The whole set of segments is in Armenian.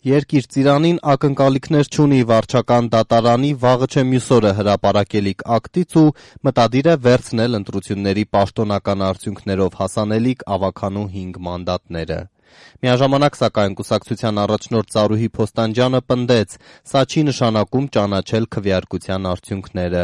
Երկիր ծիրանին ակնկալիքներ չունի վարչական դատարանի վաղը չէ մյուս օրը հրապարակելիք ակտից ու մտադիր է վերցնել ընտրությունների պաշտոնական արդյունքներով հասանելիք ավագանու 5 մանդատները։ Միաժամանակ սակայն կուսակցության առաջնորդ Զարուհի Փոստանջյանը պնդեց, սա չի նշանակում ճանաչել քվեարկության արդյունքները։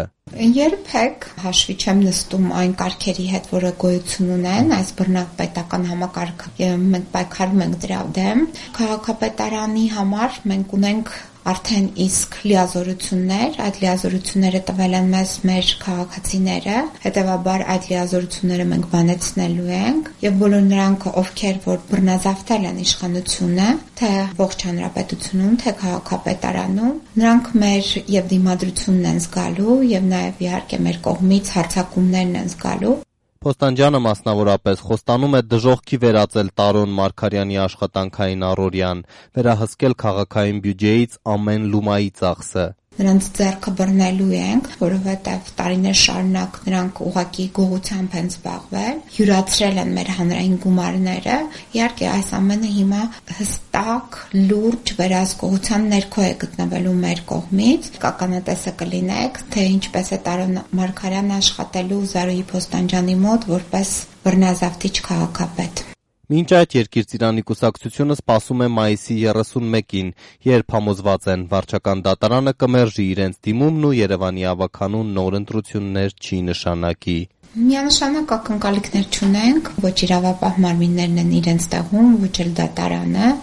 Երբեք հաշվի չեմ նստում այն կարգերի հետ, որը գոյություն ունեն, այս բռնապետական համակարգը, մենք պայքարում ենք դրա դեմ։ Քաղաքապետարանի համար մենք ունենք արդեն իսկ լիազորություններ, այդ լիազորությունները տվել են մեզ մեր քաղաքացիները, հետևաբար այդ լիազորությունները մենք բանեցնելու ենք եւ բոլոր նրանք, ովքեր որ բռնազավթել են իշխանությունը, թե ողջ հանրապետությունում, թե քաղաքապետարանում, նրանք մեր եւ դիմադրությունն են զգալու եւ նաեւ իհարկե մեր կողմից հարձակումներն են զգալու։ Փոստանջյանը մասնավորապես խոստանում է դժոխքի վերածել Տարոն Մարգարյանի աշխատանքային առօրյան, վերահսկել քաղաքային բյուջեից ամեն լումայի ծախսը։ Նրանց ձեռքը բռնելու ենք, որովհետև տարիներ շարունակ նրանք ուղղակի գողությամբ են զբաղվել, յուրացրել են մեր հանրային գումարները։ Իհարկե այս ամենը հիմա հստակ, լուրջ վերահսկողության ներքո է գտնվելու մեր կողմից։ Կականատեսը կլինեք, թե ինչպես է Տարոն Մարգարյանը աշխատելու Զարուհի Փոստանջյանի մոտ որպես բռնազավթիչ քաղաքապետ։ Մինչ այդ Երկիր ծիրանի կուսակցությունը սպասում է մայիսի 31-ին, երբ համոզված են վարչական դատարանը կմերժի իրենց դիմումն ու Երևանի ավագանուն նոր ընտրություններ չի նշանակի։ Միանշանակ ակնկալիքներ չունենք, ոչ իրավապահ մարմիններն են իրենց տեղում, ոչ էլ դատարանը։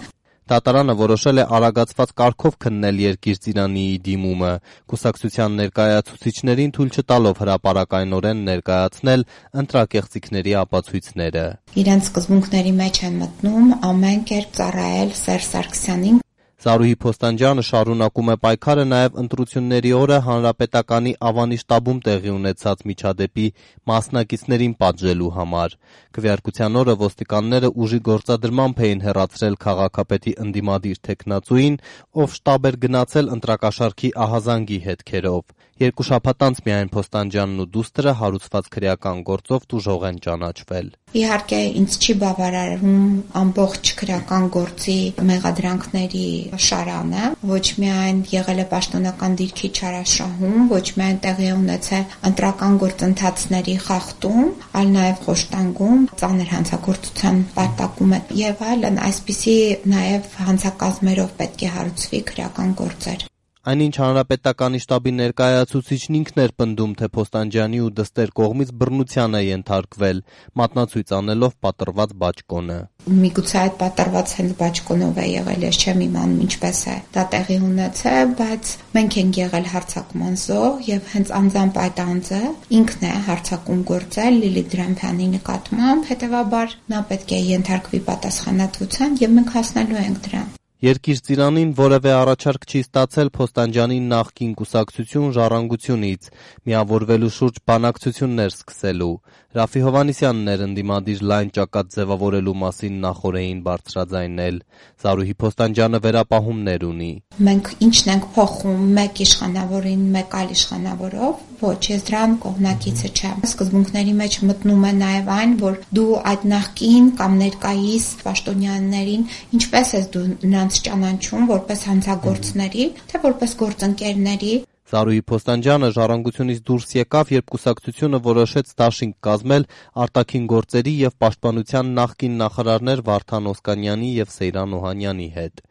Դատարանը որոշել է արագացված կարգով քննել Երկիր ծիրանիի դիմումը, կուսակցության ներկայացուցիչներին թույլ չտալով հրապարակայնորեն ներկայացնել ընտրակեղծիքների ապացույցները։ Իրենց սկզբունքների մեջ են մտնում ամեն կերպ ծառայել Սերժ Սարգսյանին։ Զարուհի Փոստանջյանը շարունակում է պայքարը նաև ընտրությունների օրը հանրապետականի Ավանի շտաբում տեղի ունեցած միջադեպի մասնակիցներին պատժելու համար։ Քվեարկության օրը ոստիկանները ուժի գործադրմամբ էին հեռացրել քաղաքապետի ընդդիմադիր թեկնածուին, ով շտաբ էր գնացել ընտրակաշառքի ահազանգի հետքերով։ 2 շաբաթ անց միայն Փոստանջյանն ու դուստրը հարուցված քրեական գործով տուժող են ճանաչվել։ Իհարկե ինձ չի բավարարում ամբողջ քրեական գործի մեղադրանքների շարանը, ոչ միայն եղել է պաշտոնական դիրքի չարաշահում, ոչ միայն տեղի է ունեցել ընտրական գործընթացների խախտում, այլ նաև խոշտանգում, ծանր հանցագործության պարտակում է եւ այլն, այսպիսի նաև հանցակազմերով պետք է հարուցվի քրեական գործեր։ Այնինչ հանրապետականի շտաբի ներկայացուցիչն ինքն էր պնդում, թե Փոստանջյանի ու դստեր կողմից բռնության է ենթարկվել, մատնացույց անելով պատռված բաճկոնը։ Միգուցե այդ պատռված հենց բաճկոնով է եղել, ես չեմ իմանում ինչպես է դա տեղի ունեցել, բայց մենք ենք եղել հարձակման զոհ եւ հենց անձամբ այդ անձը ինքն է հարձակում գործել Լիլիթ Դրամփյանի նկատմամբ, հետեւաբար նա պետք է ենթարկվի պատասխանատվության եւ մենք հասնելու ենք դրան։ Երկիր ծիրանին որևէ առաջարկ չի ստացել Փոստանջյանի նախկին կուսակցություն Ժառանգությունից, միավորվելու շուրջ բանակցություններ սկսելու։ Ռաֆի Հովհաննիսյանն էր ընդդիմադիր լայն ճակատ ձևավորելու մասին նախօրեին բարձրաձայնել։ Զարուհի Փոստանջյանը վերապահումներ ունի։ Մենք ինչն ենք փոխում մեկ իշխանավորին մեկ այլ իշխանավորով, ոչ, ես դրան կողմնակիցը չեմ։ Սկզբունքների մեջ մտնում է նաև այն, որ դու այդ նախկին կամ ներկայիս պաշտոնյաներին ինչպես ես դու նրանց ճանաչում որպես հանցագործների, թե որպես գործընկերների։ Զարուհի Փոստանջյանը Ժառանգությունից դուրս եկավ, երբ կուսակցությունը որոշեց դաշինք կազմել արտաքին գործերի եւ պաշտպանության նախկին նախարարներ Վարդան Օսկանյանի եւ Սեյրան Օհանյանի հետ։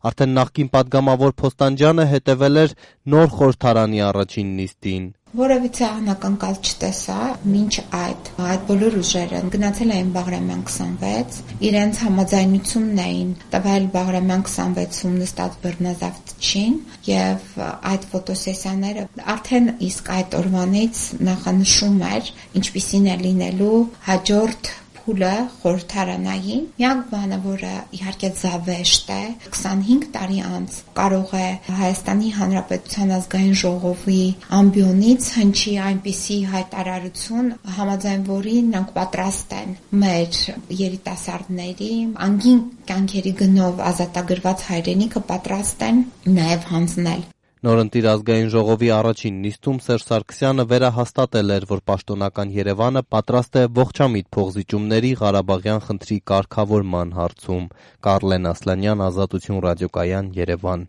Արդեն նախկին падգամավոր Փոստանջյանը հետևել էր նոր խորհրդարանի առաջին նիստին։ Որևիցե անակնկալ չտեսա, մինչ այդ բոլոր ուժերը գնացել էին Բաղրամյան 26, իրենց համաձայնությունն էին տվել Բաղրամյան 26-ում նստած բռնազավթչին եւ այդ ֆոտոսեսիաները արդեն իսկ այդ օրվանից նախանշում էր ինչպիսին է լինելու հաջորդ փուլը խորհրդարանային։ Միակ բանը, որը իհարկե զավեշտ է, 25 տարի անց կարող է Հայաստանի Հանրապետության ազգային ժողովի ամբիոնից հնչի այնպիսի հայտարարություն, համաձայն որի նրանք պատրաստ են մեր երիտասարդների անգին կյանքերի գնով ազատագրված հայրենիքը պատրաստ են նաև հանձնել։ Նորընտիր ազգային ժողովի առաջին նիստում Սերժ Սարգսյանը վերահաստատել էր, որ պաշտոնական Երևանը պատրաստ է ողջամիտ փոխզիջումների Ղարաբաղյան խնդրի կարգավորման հարցում։ Կարլեն Ասլանյան, Ազատություն ռադիոկայան, Երևան։